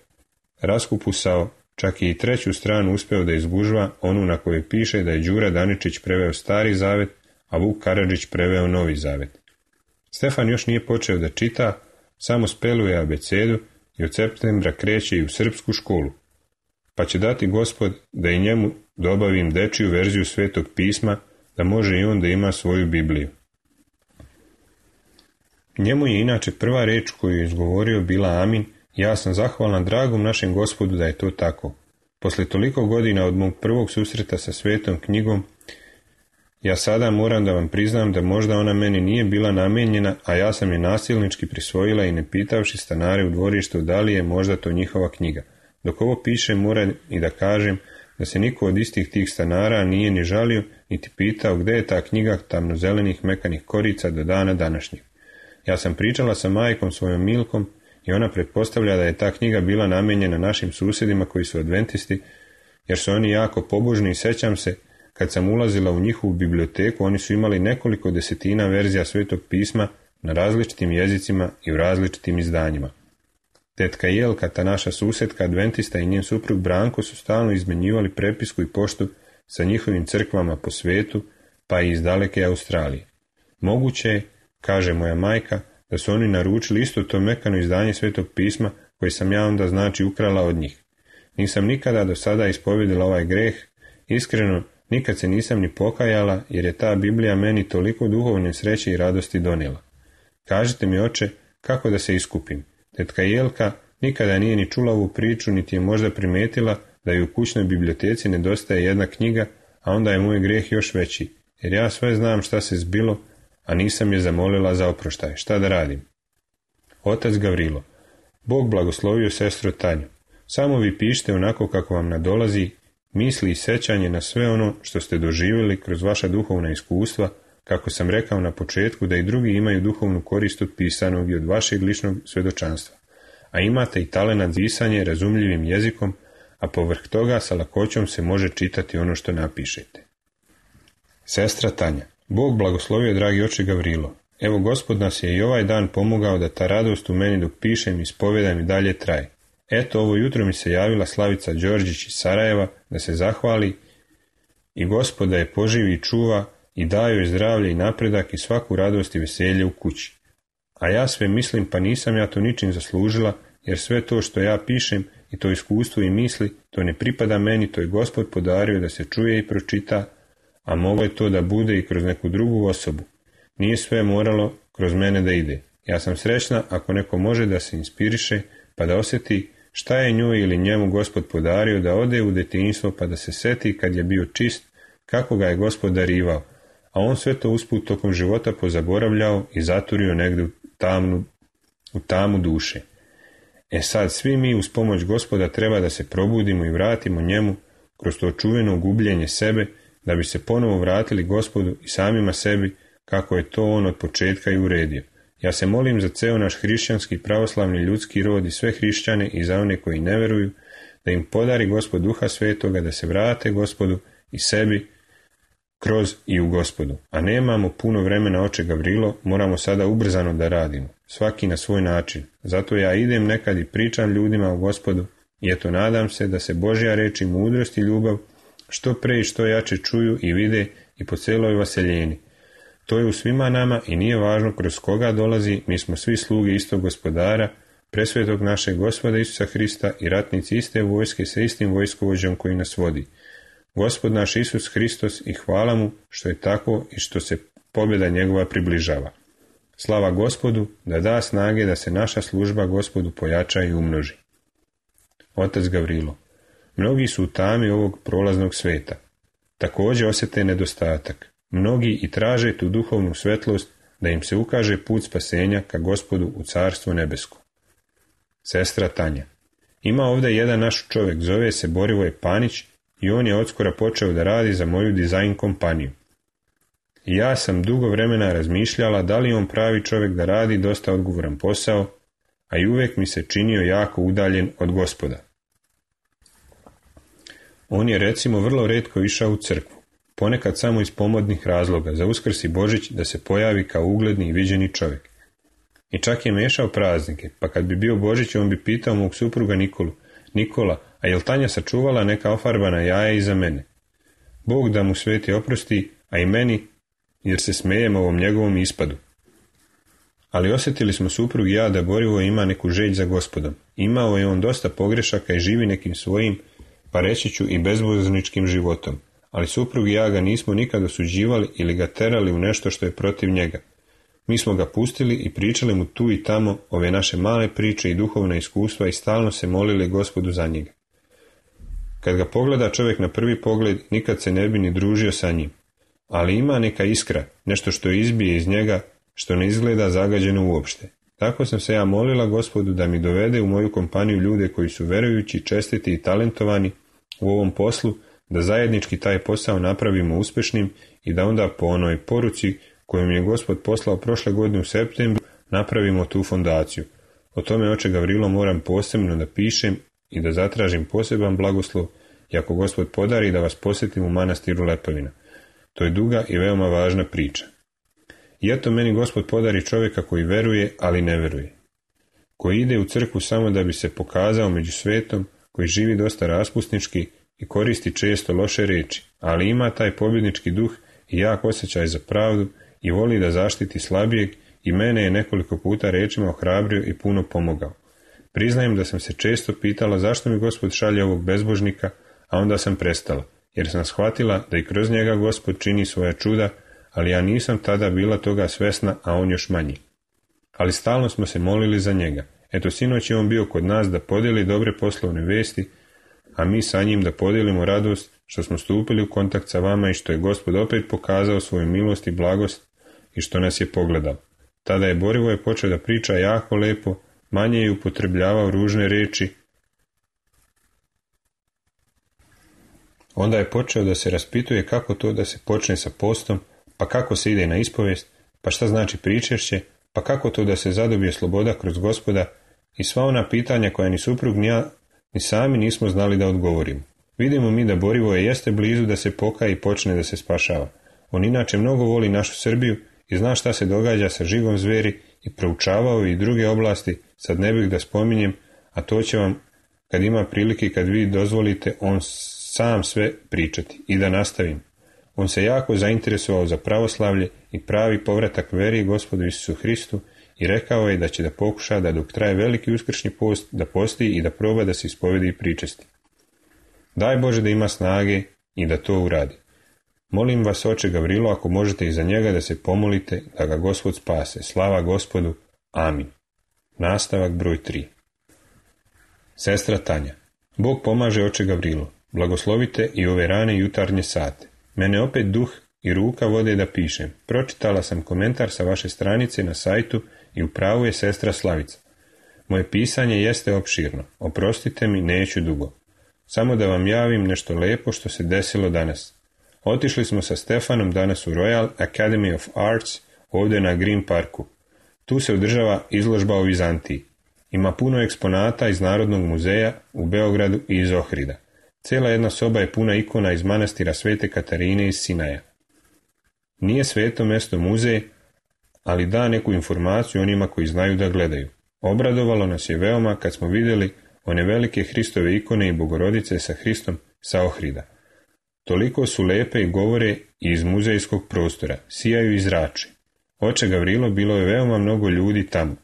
raskupusao, čak i treću stranu uspeo da izgužva, onu na kojoj piše da je Đura Daničić preveo Stari zavet, a Vuk Karadžić preveo Novi zavet. Stefan još nije počeo da čita, samo speluje abecedu i od septembra kreće i u srpsku školu. Pa će dati Gospod da i njemu dobavim dečiju verziju Svetog pisma, da može i on da ima svoju Bibliju. Njemu je inače prva reč koju je izgovorio bila amin, Ja sam zahvalan dragom našem Gospodu da je to tako. Posle toliko godina od mog prvog susreta sa svetom knjigom, ja sada moram da vam priznam da možda ona meni nije bila namijenjena, a ja sam je nasilnički prisvojila i ne pitavši stanare u dvorištu da li je možda to njihova knjiga. Dok ovo pišem, moram i da kažem da se niko od istih tih stanara nije ni žalio, niti pitao gde je ta knjiga tamnozelenih mekanih korica do dana današnjeg. Ja sam pričala sa majkom svojom Milkom i ona pretpostavlja da je ta knjiga bila namijenjena našim susjedima koji su adventisti, jer su oni jako pobožni i sećam se, kad sam ulazila u njihovu biblioteku, oni su imali nekoliko desetina verzija Svetog pisma na različitim jezicima i u različitim izdanjima. Tetka Jelka, ta naša susjedka adventista i njen suprug Branko su stalno izmenjivali prepisku i poštu sa njihovim crkvama po svetu, pa i iz daleke Australije. Moguće je, kaže moja majka, da su oni naručili isto to mekano izdanje Svetog pisma koje sam ja onda znači ukrala od njih. Nisam nikada do sada ispovedila ovaj greh, iskreno nikad se nisam ni pokajala, jer je ta Biblija meni toliko duhovne sreće i radosti donijela. Kažite mi, oče, kako da se iskupim? Tetka Jelka nikada nije ni čula ovu priču, niti je možda primetila da ju u kućnoj biblioteci nedostaje jedna knjiga, a onda je moj greh još veći, jer ja sve znam šta se zbilo, a nisam je zamolila za oproštaj. Šta da radim? Otac Gavrilo: Bog blagoslovio sestru Tanju. Samo vi pišite onako kako vam nadolazi, misli i sećanje na sve ono što ste doživjeli kroz vaša duhovna iskustva, kako sam rekao na početku da i drugi imaju duhovnu korist od pisanog i od vašeg ličnog svjedočanstva. A imate i talenat za pisanje razumljivim jezikom, a povrh toga sa lakoćom se može čitati ono što napišete. Sestra Tanja: Bog blagoslovio, dragi oče Gavrilo. Evo, Gospod nas je i ovaj dan pomogao da ta radost u meni dok pišem i ispovedam i dalje traje. Eto, ovo jutro mi se javila Slavica Đorđić iz Sarajeva da se zahvali i Gospod da je poživi i čuva i daju joj zdravlje i napredak i svaku radost i veselje u kući. A ja sve mislim, pa nisam ja to ničim zaslužila, jer sve to što ja pišem i to iskustvo i misli, to ne pripada meni, to je Gospod podario da se čuje i pročita, a moglo je to da bude i kroz neku drugu osobu. Nije sve moralo kroz mene da ide. Ja sam srećna ako neko može da se inspiriše, pa da osjeti šta je njoj ili njemu Gospod podario, da ode u detinjstvo pa da se seti kad je bio čist, kako ga je Gospod darivao, a on sve to usput tokom života pozaboravljao i zaturio negdje u, tamnu, u tamu duše. E sad, svi mi uz pomoć Gospoda treba da se probudimo i vratimo njemu kroz to čuveno gubljenje sebe, da bi se ponovo vratili Gospodu i samima sebi, kako je to on od početka i uredio. Ja se molim za ceo naš hrišćanski, pravoslavni, ljudski rod i sve hrišćane i za one koji ne veruju, da im podari Gospod Duha Svetoga, da se vrate Gospodu i sebi kroz i u Gospodu. A nemamo puno vremena, oče Gavrilo, moramo sada ubrzano da radimo, svaki na svoj način. Zato ja idem nekad i pričam ljudima o Gospodu i eto nadam se da se Božja reč i mudrost i ljubav što pre i što jače čuju i vide i po celoj vaseljeni. To je u svima nama i nije važno kroz koga dolazi, mi smo svi sluge istog Gospodara, presvetog našeg Gospoda Isusa Hrista i ratnici iste vojske sa istim vojskovođom koji nas vodi. Gospod naš Isus Hristos, i hvala mu što je tako i što se pobjeda njegova približava. Slava Gospodu, da da snage da se naša služba Gospodu pojača i umnoži. Otac Gavrilo: Mnogi su u tami ovog prolaznog sveta. Također osjete nedostatak. Mnogi i traže tu duhovnu svetlost da im se ukaže put spasenja ka Gospodu u Carstvo nebesko. Sestra Tanja: Ima ovdje jedan naš čovjek, zove se Borivoje Panić i on je odskora počeo da radi za moju dizajn kompaniju. I ja sam dugo vremena razmišljala da li on pravi čovjek da radi dosta odgovoran posao, a i uvijek mi se činio jako udaljen od Gospoda. On je recimo vrlo retko išao u crkvu, ponekad samo iz pomodnih razloga, za Uskrs i Božić da se pojavi kao ugledni i viđeni čovjek. I čak je mešao praznike, pa kad bi bio Božić on bi pitao mog supruga Nikolu: Nikola, a jel Tanja sačuvala neka ofarbana jaja iza mene? Bog da mu sveti oprosti, a i meni, jer se smejem ovom njegovom ispadu. Ali osjetili smo suprug i ja da Borivo ima neku želj za Gospodom. Imao je on dosta pogrešaka i živi nekim svojim, pa reći ću i bezvozničkim životom. Ali suprug i ja ga nismo nikad osuđivali ili ga terali u nešto što je protiv njega. Mi smo ga pustili i pričali mu tu i tamo ove naše male priče i duhovna iskustva i stalno se molili Gospodu za njega. Kad ga pogleda čovjek na prvi pogled, nikad se ne bi ni družio sa njim. Ali ima neka iskra, nešto što izbije iz njega, što ne izgleda zagađeno uopšte. Tako sam se ja molila Gospodu da mi dovede u moju kompaniju ljude koji su verujući, čestiti i talentovani u ovom poslu, da zajednički taj posao napravimo uspješnim i da onda po onoj poruci koju mi je Gospod poslao prošle godine u septembru napravimo tu fondaciju. O tome, oče Gavrilo, moram posebno da pišem i da zatražim poseban blagoslov i ako Gospod podari da vas posjetim u manastiru Lepavina. To je duga i veoma važna priča. I eto meni Gospod podari čovjeka koji veruje, ali ne veruje. Koji ide u crkvu samo da bi se pokazao među svetom, koji živi dosta raspusnički i koristi često loše riječi, ali ima taj pobjednički duh i jak osjećaj za pravdu i voli da zaštiti slabijeg i mene je nekoliko puta rečima ohrabrio i puno pomogao. Priznajem da sam se često pitala zašto mi Gospod šalje ovog bezbožnika, a onda sam prestala, jer sam shvatila da i kroz njega Gospod čini svoja čuda, ali ja nisam tada bila toga svesna, a on još manji. Ali stalno smo se molili za njega. Eto, sinoć je on bio kod nas da podijeli dobre poslovne vesti, a mi sa njim da podijelimo radost što smo stupili u kontakt sa vama i što je Gospod opet pokazao svoju milost i blagost i što nas je pogledao. Tada je Borivoje počeo da priča jako lepo, manje je upotrebljavao ružne riječi. Onda je počeo da se raspituje kako to da se počne sa postom, pa kako se ide na ispovijest, pa šta znači pričešće, pa kako to da se zadobije sloboda kroz Gospoda i sva ona pitanja koja ni suprug ni ja ni sami nismo znali da odgovorimo. Vidimo mi da Borivoje jeste blizu da se pokaje i počne da se spašava. On inače mnogo voli našu Srbiju i zna šta se događa sa žigom zveri i proučavao i druge oblasti, sad ne bih da spominjem, a to će vam, kad ima prilike i kad vi dozvolite, on sam sve pričati. I da nastavim. On se jako zainteresovao za pravoslavlje i pravi povratak veri Gospodu Isusu Hristu i rekao je da će da pokuša da dok traje veliki uskršnji post, da posti i da proba da se ispovedi i pričesti. Daj Bože da ima snage i da to uradi. Molim vas, oče Gavrilo, ako možete i za njega da se pomolite, da ga Gospod spase. Slava Gospodu. Amin. Nastavak broj tri. Sestra Tanja. Bog pomaže, oče Gavrilo. Blagoslovite i ove rane jutarnje sate. Mene opet duh i ruka vode da pišem. Pročitala sam komentar sa vaše stranice na sajtu i u pravu je sestra Slavica. Moje pisanje jeste opširno. Oprostite mi, neću dugo. Samo da vam javim nešto lepo što se desilo danas. Otišli smo sa Stefanom danas u Royal Academy of Arts ovdje na Green Parku. Tu se održava izložba o Vizantiji. Ima puno eksponata iz Narodnog muzeja u Beogradu i iz Ohrida. Cijela jedna soba je puna ikona iz manastira Svete Katarine iz Sinaja. Nije sveto mjesto muzej, ali da neku informaciju onima koji znaju da gledaju. Obradovalo nas je veoma kad smo vidjeli one velike Hristove ikone i Bogorodice sa Hristom sa Ohrida. Toliko su lepe i govore i iz muzejskog prostora, sijaju i zrači. Oče Gavrilo, bilo je veoma mnogo ljudi tamo.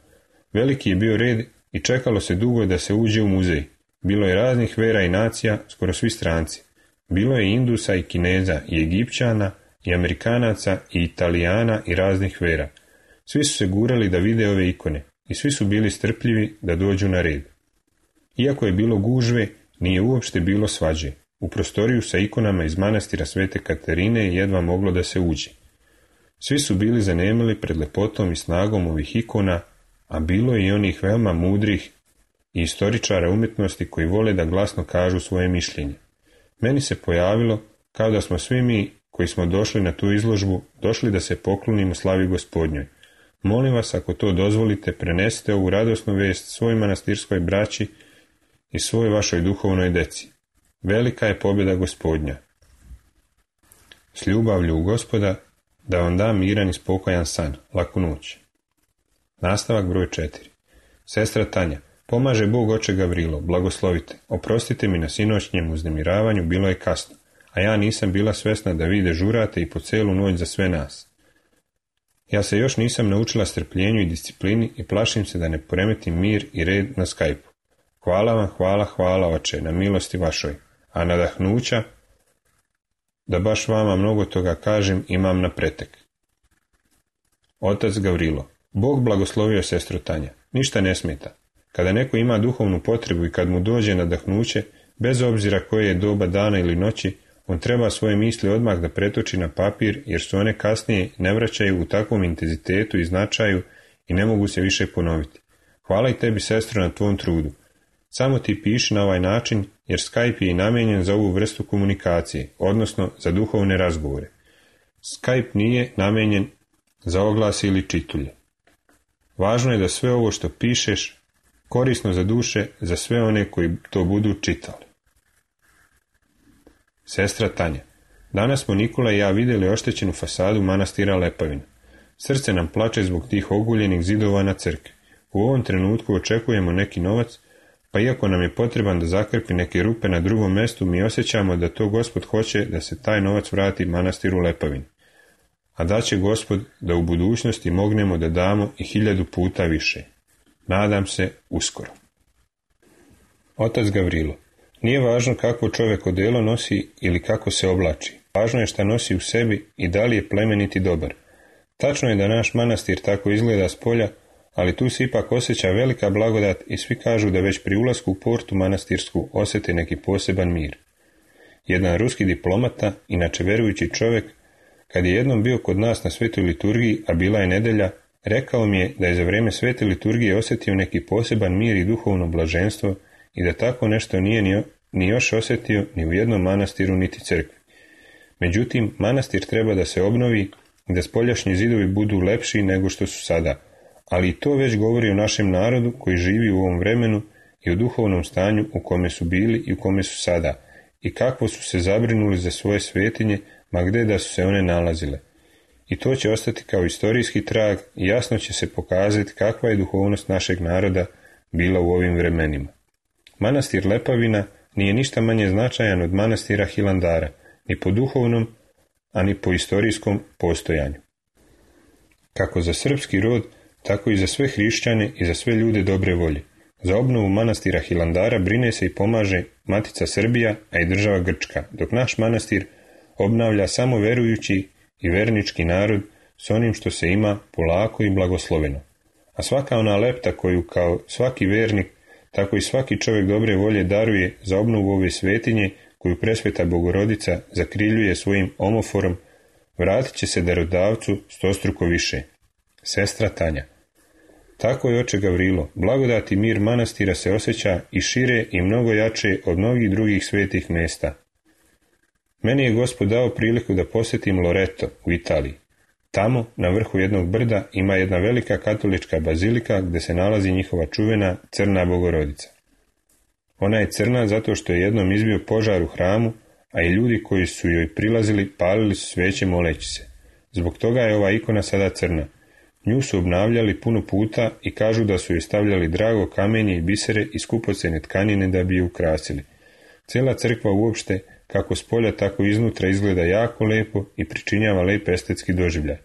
Veliki je bio red i čekalo se dugo da se uđe u muzej. Bilo je raznih vera i nacija, skoro svi stranci. Bilo je Indusa i Kineza, i Egipćana, i Amerikanaca, i Italijana i raznih vera. Svi su se gurali da vide ove ikone i svi su bili strpljivi da dođu na red. Iako je bilo gužve, nije uopšte bilo svađe. U prostoriju sa ikonama iz manastira Svete Katarine je jedva moglo da se uđe. Svi su bili zanemili pred lepotom i snagom ovih ikona, a bilo je i onih veoma mudrih i istoričara umjetnosti koji vole da glasno kažu svoje mišljenje. Meni se pojavilo kao da smo svi mi koji smo došli na tu izložbu došli da se poklonimo slavi Gospodnjoj. Molim vas, ako to dozvolite, prenesite ovu radosnu vest svoj manastirskoj braći i svoj vašoj duhovnoj deci. Velika je pobjeda Gospodnja. S ljubavlju u Gospoda, da vam da miran i spokojan san, laku noć. Nastavak broj četiri. Sestra Tanja. Pomaže Bog, oče Gavrilo, blagoslovite. Oprostite mi na sinoćnjem uznemiravanju, bilo je kasno, a ja nisam bila svesna da vi dežurate i po celu noć za sve nas. Ja se još nisam naučila strpljenju i disciplini i plašim se da ne poremetim mir i red na Skype-u. Hvala vam, hvala, hvala, oče, na milosti vašoj, a nadahnuća, da baš vama mnogo toga kažem, imam na pretek. Otac Gavrilo. Bog blagoslovio sestru Tanja. Ništa ne smeta. Kada neko ima duhovnu potrebu i kad mu dođe nadahnuće, bez obzira koje je doba dana ili noći, on treba svoje misli odmah da pretoči na papir, jer su one kasnije ne vraćaju u takvom intenzitetu i značaju i ne mogu se više ponoviti. Hvala i tebi, sestro, na tvom trudu. Samo ti piši na ovaj način, jer Skype je i namijenjen za ovu vrstu komunikacije, odnosno za duhovne razgovore. Skype nije namijenjen za oglase ili čitulje. Važno je da sve ovo što pišeš korisno za duše za sve one koji to budu čitali. Sestra Tanja. Danas smo Nikola i ja vidjeli oštećenu fasadu manastira Lepavina. Srce nam plače zbog tih oguljenih zidova na crkvi. U ovom trenutku očekujemo neki novac, pa iako nam je potreban da zakrpi neke rupe na drugom mjestu, mi osjećamo da to Gospod hoće da se taj novac vrati manastiru Lepavini. A da će Gospod da u budućnosti mognemo da damo i hiljadu puta više. Nadam se uskoro. Otac Gavrilo. Nije važno kakvo čovjek odelo nosi ili kako se oblači. Važno je šta nosi u sebi i da li je plemenit i dobar. Tačno je da naš manastir tako izgleda s polja, ali tu se ipak osjeća velika blagodat i svi kažu da već pri ulasku u portu manastirsku osjete neki poseban mir. Jedan ruski diplomata, inače verujući čovjek, kad je jednom bio kod nas na svetoj liturgiji, a bila je nedjelja, rekao mi je da je za vrijeme svete liturgije osjetio neki poseban mir i duhovno blaženstvo i da tako nešto nije ni, ni još osjetio ni u jednom manastiru niti crkvi. Međutim, manastir treba da se obnovi i da spoljašnji zidovi budu lepši nego što su sada, ali i to već govori o našem narodu koji živi u ovom vremenu i o duhovnom stanju u kome su bili i u kome su sada, i kako su se zabrinuli za svoje svetinje, ma gde da su se one nalazile. I to će ostati kao istorijski trag i jasno će se pokazati kakva je duhovnost našeg naroda bila u ovim vremenima. Manastir Lepavina nije ništa manje značajan od manastira Hilandara, ni po duhovnom, a ni po istorijskom postojanju. Kako za srpski rod, tako i za sve hrišćane i za sve ljude dobre volje. Za obnovu manastira Hilandara brine se i pomaže Matica Srbija, a i država Grčka, dok naš manastir obnavlja samo verujući i vernički narod s onim što se ima polako i blagosloveno. A svaka ona lepta koju kao svaki vernik, tako i svaki čovjek dobre volje daruje za obnovu ove svetinje koju presveta Bogorodica zakriljuje svojim omoforom, vratit će se darodavcu stostruko više. Sestra Tanja. Tako je, oče Gavrilo, blagodat i mir manastira se osjeća i šire i mnogo jače od mnogih drugih svetih mjesta. Meni je Gospod dao priliku da posjetim Loreto u Italiji. Tamo, na vrhu jednog brda, ima jedna velika katolička bazilika gdje se nalazi njihova čuvena crna Bogorodica. Ona je crna zato što je jednom izbio požar u hramu, a i ljudi koji su joj prilazili palili su sveće moleći se. Zbog toga je ova ikona sada crna. Nju su obnavljali puno puta i kažu da su joj stavljali drago kamenje i bisere i skupocene tkanine da bi je ukrasili. Cijela crkva uopšte, kako s polja tako iznutra, izgleda jako lepo i pričinjava lep estetski doživljaj.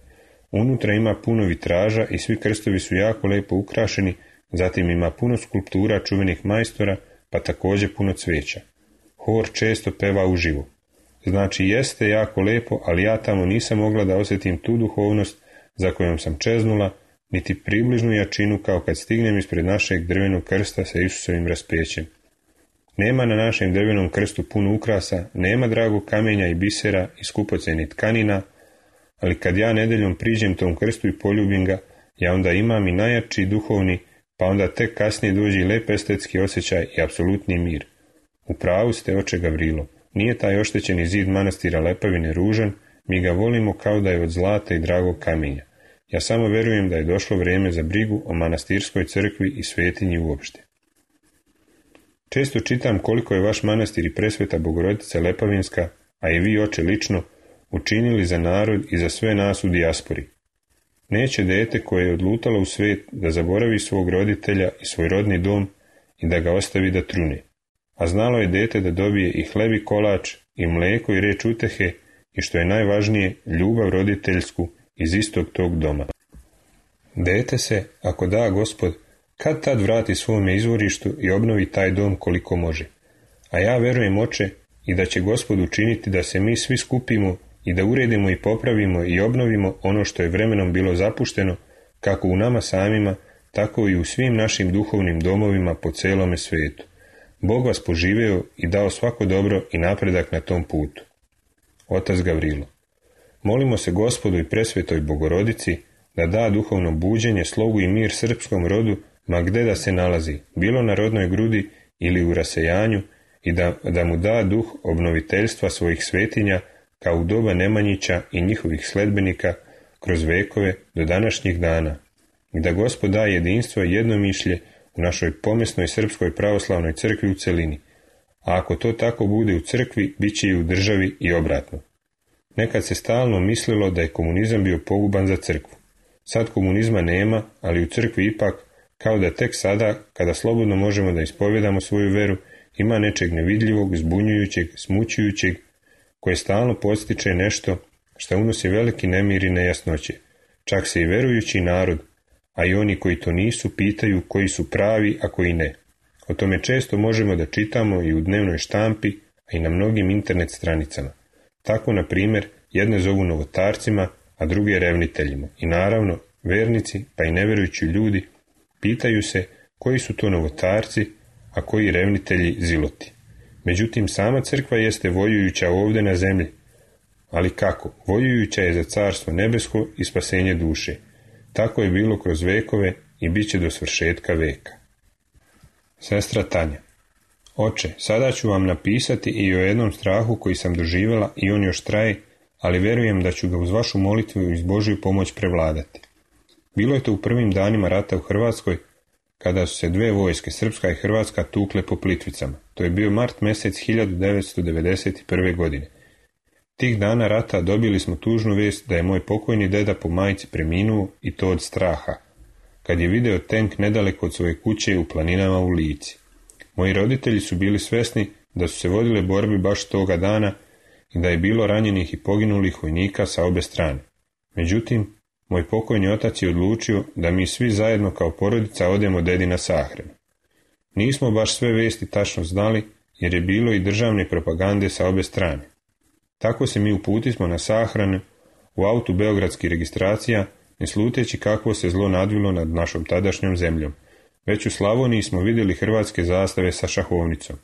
Unutra ima puno vitraža i svi krstovi su jako lepo ukrašeni, zatim ima puno skulptura čuvenih majstora, pa također puno cvijeća. Hor često peva uživo. Znači jeste jako lepo, ali ja tamo nisam mogla da osjetim tu duhovnost za kojom sam čeznula, niti približnu jačinu kao kad stignem ispred našeg drvenog krsta sa Isusovim raspećem. Nema na našem drvenom krstu puno ukrasa, nema dragog kamenja i bisera i skupocenih tkanina, ali kad ja nedeljom priđem tom krstu i poljubim ga, ja onda imam i najjači duhovni, pa onda tek kasnije dođe i lep estetski osjećaj i apsolutni mir. U pravu ste, oče Gavrilo, nije taj oštećeni zid manastira Lepavine ružan, mi ga volimo kao da je od zlata i dragog kamenja. Ja samo verujem da je došlo vrijeme za brigu o manastirskoj crkvi i svetinji uopšte. Često čitam koliko je vaš manastir i presveta Bogorodica Lepavinska, a i vi, oče, lično, učinili za narod i za sve nas u dijaspori. Neće dete koje je odlutalo u svet da zaboravi svog roditelja i svoj rodni dom i da ga ostavi da trune. A znalo je dete da dobije i hleb i kolač, i mleko i reč utehe, i što je najvažnije, ljubav roditeljsku iz istog tog doma. Dete se, ako da Gospod, kad tad vrati svome izvorištu i obnovi taj dom koliko može. A ja verujem, oče, i da će Gospod učiniti da se mi svi skupimo i da uredimo i popravimo i obnovimo ono što je vremenom bilo zapušteno, kako u nama samima, tako i u svim našim duhovnim domovima po celome svijetu. Bog vas poživeo i dao svako dobro i napredak na tom putu. Otac Gavrilo. Molimo se Gospodu i presvetoj Bogorodici da da duhovno buđenje, slogu i mir srpskom rodu, ma gde da se nalazi, bilo na rodnoj grudi ili u rasejanju, i da, da mu da duh obnoviteljstva svojih svetinja, kao u doba Nemanjića i njihovih sledbenika, kroz vekove do današnjih dana, i da Gospod da jedinstvo i jednomišlje u našoj pomesnoj srpskoj pravoslavnoj crkvi u celini, a ako to tako bude u crkvi, bit će i u državi i obratno. Nekad se stalno mislilo da je komunizam bio poguban za crkvu. Sad komunizma nema, ali u crkvi ipak, kao da tek sada, kada slobodno možemo da ispovjedamo svoju veru, ima nečeg nevidljivog, zbunjujućeg, smućujućeg, koje stalno postiče nešto što unosi veliki nemir i nejasnoće. Čak se i verujući narod, a i oni koji to nisu, pitaju koji su pravi, a koji ne. O tome često možemo da čitamo i u dnevnoj štampi, a i na mnogim internet stranicama. Tako, na primjer, jedne zovu novotarcima, a druge revniteljima. I naravno, vernici, pa i neverujući ljudi, pitaju se koji su to novotarci, a koji revnitelji ziloti. Međutim, sama crkva jeste vojujuća ovdje na zemlji. Ali kako? Vojujuća je za carstvo nebesko i spasenje duše. Tako je bilo kroz vekove i bit će do svršetka veka. Sestra Tanja. Oče, sada ću vam napisati i o jednom strahu koji sam doživjela i on još traje, ali verujem da ću ga uz vašu molitvu i uz Božju pomoć prevladati. Bilo je to u prvim danima rata u Hrvatskoj, kada su se dve vojske, srpska i hrvatska, tukle po Plitvicama. To je bio mart mjesec hiljadu devetsto devedeset prve. godine. Tih dana rata dobili smo tužnu vijest da je moj pokojni deda po majci preminuo, i to od straha, kad je video tenk nedaleko od svoje kuće u planinama u Lici. Moji roditelji su bili svesni da su se vodile borbe baš toga dana i da je bilo ranjenih i poginulih vojnika sa obe strane. Međutim, moj pokojni otac je odlučio da mi svi zajedno kao porodica odemo dedi na sahranu. Nismo baš sve vesti tačno znali, jer je bilo i državne propagande sa obe strane. Tako se mi uputismo na sahranu u autu beogradskih registracija, ne sluteći kakvo se zlo nadvilo nad našom tadašnjom zemljom. Već u Slavoniji smo vidjeli hrvatske zastave sa šahovnicom.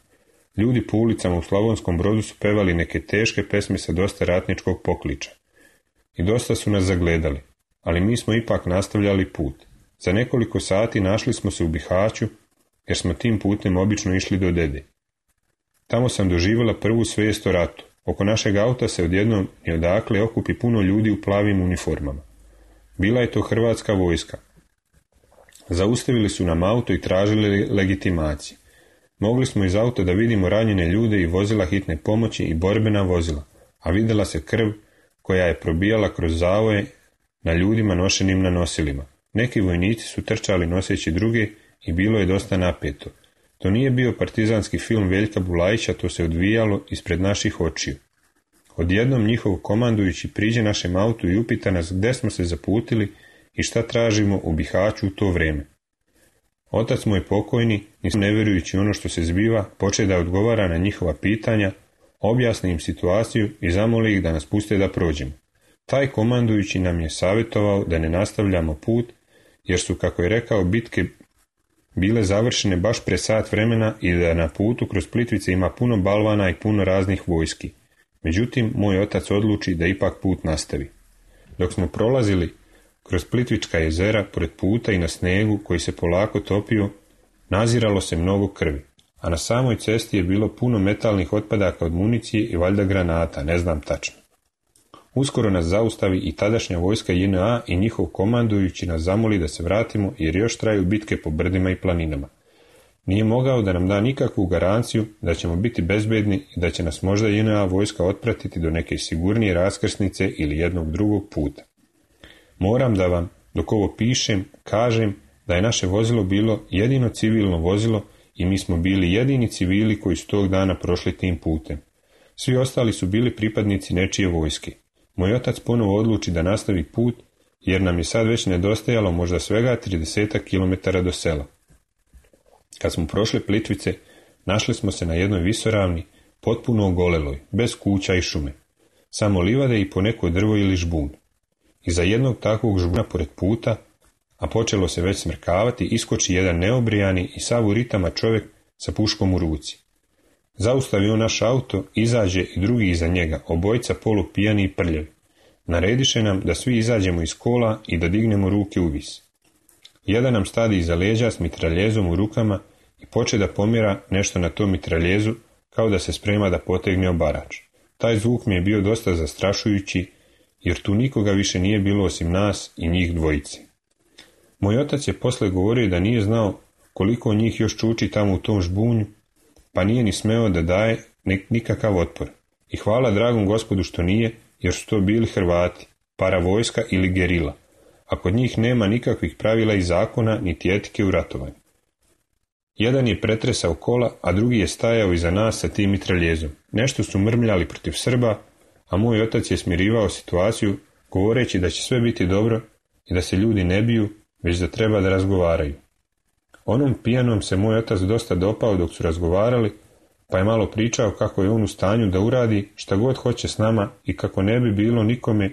Ljudi po ulicama u Slavonskom Brodu su pevali neke teške pesme sa dosta ratničkog pokliča. I dosta su nas zagledali, ali mi smo ipak nastavljali put. Za nekoliko sati našli smo se u Bihaću, jer smo tim putem obično išli do dede. Tamo sam doživjela prvu svijest o ratu. Oko našeg auta se odjednom i odakle okupi puno ljudi u plavim uniformama. Bila je to hrvatska vojska. Zaustavili su nam auto i tražili legitimacije. Mogli smo iz auta da vidimo ranjene ljude i vozila hitne pomoći i borbena vozila, a vidjela se krv koja je probijala kroz zavoje na ljudima nošenim na nosilima. Neki vojnici su trčali noseći druge i bilo je dosta napeto. To nije bio partizanski film Veljka Bulajića, to se odvijalo ispred naših očiju. Odjednom njihov komandujući priđe našem autu i upita nas gde smo se zaputili i šta tražimo u Bihaću u to vrijeme. Otac moj pokojni, nisam ne vjerujući ono što se zbiva, poče da odgovara na njihova pitanja, objasni im situaciju i zamoli ih da nas puste da prođemo. Taj komandujući nam je savjetovao da ne nastavljamo put, jer su, kako je rekao, bitke bile završene baš pre sat vremena i da na putu kroz Plitvice ima puno balvana i puno raznih vojski. Međutim, moj otac odluči da ipak put nastavi. Dok smo prolazili kroz Plitvička jezera, pored puta i na snegu koji se polako topio, naziralo se mnogo krvi, a na samoj cesti je bilo puno metalnih otpadaka od municije i valjda granata, ne znam tačno. Uskoro nas zaustavi i tadašnja vojska J N A i njihov komandujući nas zamoli da se vratimo jer još traju bitke po brdima i planinama. Nije mogao da nam da nikakvu garanciju da ćemo biti bezbedni i da će nas možda J N A vojska otpratiti do neke sigurnije raskrsnice ili jednog drugog puta. Moram da vam, dok ovo pišem, kažem da je naše vozilo bilo jedino civilno vozilo i mi smo bili jedini civili koji su tog dana prošli tim putem. Svi ostali su bili pripadnici nečije vojske. Moj otac ponovo odluči da nastavi put, jer nam je sad već nedostajalo možda svega trideset kilometara do sela. Kad smo prošli Plitvice, našli smo se na jednoj visoravni, potpuno ogoleloj, bez kuća i šume. samo livade i po neko drvo ili žbun. Iza jednog takvog žbuna pored puta, a počelo se već smrkavati, iskoči jedan neobrijani i sav u ritama čovjek sa puškom u ruci. Zaustavi on naš auto, izađe i drugi iza njega, obojica polupijani i prljavi. Narediše nam da svi izađemo iz kola i da dignemo ruke u vis. Jedan nam stadi iza leđa s mitraljezom u rukama i poče da pomjera nešto na tom mitraljezu, kao da se sprema da potegne obarač. Taj zvuk mi je bio dosta zastrašujući, jer tu nikoga više nije bilo osim nas i njih dvojice. Moj otac je posle govorio da nije znao koliko njih još čuči tamo u tom žbunju, pa nije ni smeo da daje nikakav otpor. I hvala dragom Gospodu što nije, jer su to bili Hrvati, paravojska ili gerila, a kod njih nema nikakvih pravila i zakona niti etike u ratovanju. Jedan je pretresao kola, a drugi je stajao iza nas sa tim mitraljezom. Nešto su mrmljali protiv Srba, a moj otac je smirivao situaciju, govoreći da će sve biti dobro i da se ljudi ne biju, već da treba da razgovaraju. Onom pijanom se moj otac dosta dopao dok su razgovarali, pa je malo pričao kako je on u stanju da uradi šta god hoće s nama i kako ne bi bilo nikome,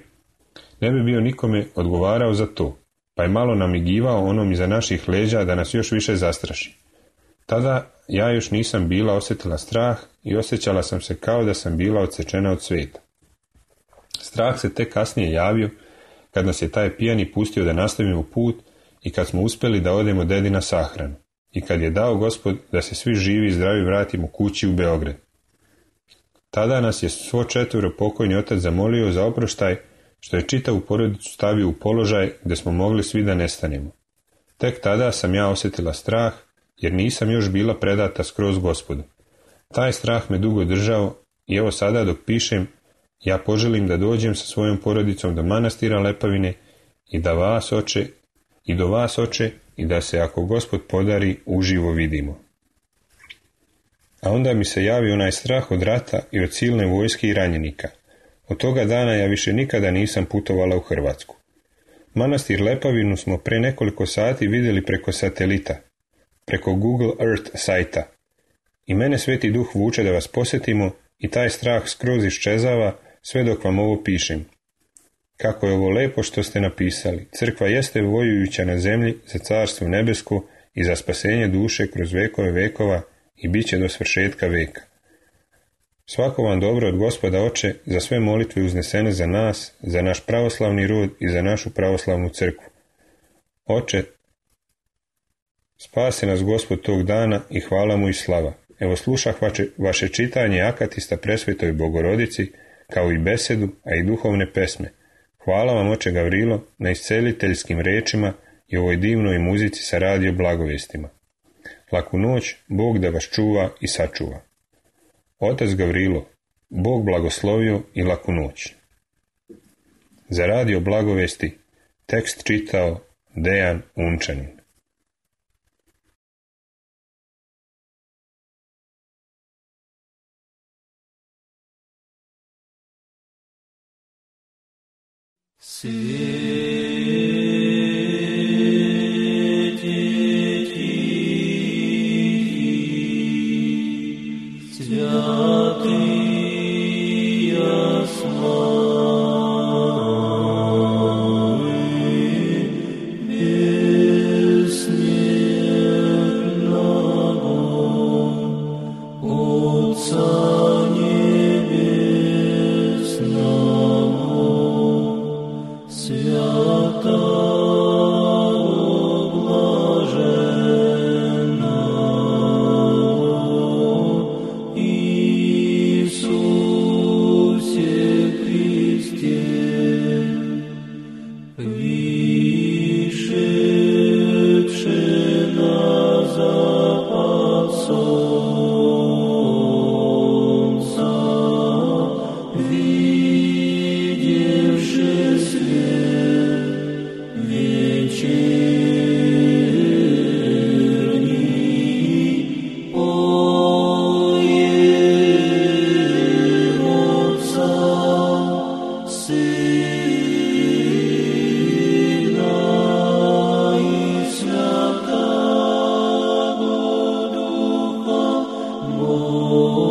ne bi bio nikome odgovarao za to, pa je malo namigivao onom iza naših leđa da nas još više zastraši. Tada ja još nisam bila osjetila strah i osjećala sam se kao da sam bila odsečena od svijeta. Strah se tek kasnije javio kad nas je taj pijani pustio da nastavimo put i kad smo uspjeli da odemo dedi na sahranu i kad je dao Gospod da se svi živi i zdravi vratimo kući u Beograd. Tada nas je svo četvero pokojni otac zamolio za oproštaj što je čitavu porodicu stavio u položaj gdje smo mogli svi da nestanemo. Tek tada sam ja osjetila strah jer nisam još bila predata skroz Gospodu. Taj strah me dugo držao i evo sada dok pišem ja poželim da dođem sa svojom porodicom do manastira Lepavine i da vas oče i do vas oče i da se ako Gospod podari uživo vidimo. A onda mi se javi onaj strah od rata i od silne vojske i ranjenika. Od toga dana ja više nikada nisam putovala u Hrvatsku. Manastir Lepavinu smo pre nekoliko sati vidjeli preko satelita, preko Google Earth sajta. I mene Sveti Duh vuče da vas posjetimo i taj strah skroz iščezava sve dok vam ovo pišem. Kako je ovo lepo što ste napisali. Crkva jeste vojujuća na zemlji za carstvo nebesko i za spasenje duše kroz vekove vekova i bit će do svršetka veka. Svako vam dobro od Gospoda Oče za sve molitve uznesene za nas, za naš pravoslavni rod i za našu pravoslavnu crkvu. Oče, spasi nas Gospod tog dana i hvala mu i slava. Evo slušah vaše, vaše čitanje akatista presvetoj Bogorodici, kao i besedu, a i duhovne pesme. Hvala vam, oče Gavrilo, na isceliteljskim rečima i ovoj divnoj muzici sa radio blagovestima. Laku noć, Bog da vas čuva i sačuva. Otac Gavrilo, Bog blagoslovio i laku noć. Za radio blagovesti tekst čitao Dejan Unčanin. Oh